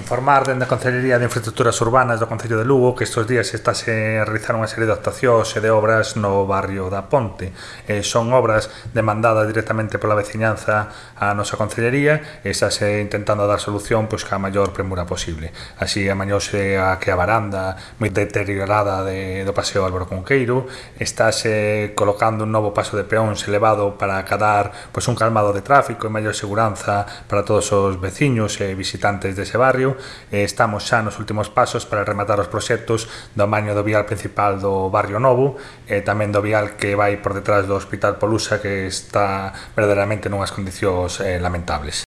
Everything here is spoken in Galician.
Informar dende a Concellería de Infraestructuras Urbanas do Concello de Lugo que estes días estáse a realizar unha serie de actuacións e de obras no barrio da Ponte. Son obras demandadas directamente pola veciñanza á nosa Concellería e estáse intentando dar solución pois ca maior premura posible. Así amañouse a que a varanda moi deteriorada do Paseo Álvaro Cunqueiro, estáse colocando un novo paso de peóns elevado para acadar pois un calmado de tráfico e maior seguranza para todos os veciños e visitantes dese barrio. Estamos xa nos últimos pasos para rematar os proxectos do amaño do vial principal do barrio novo e tamén do vial que vai por detrás do Hospital Polusa, que está verdadeiramente nunhas condicións lamentables.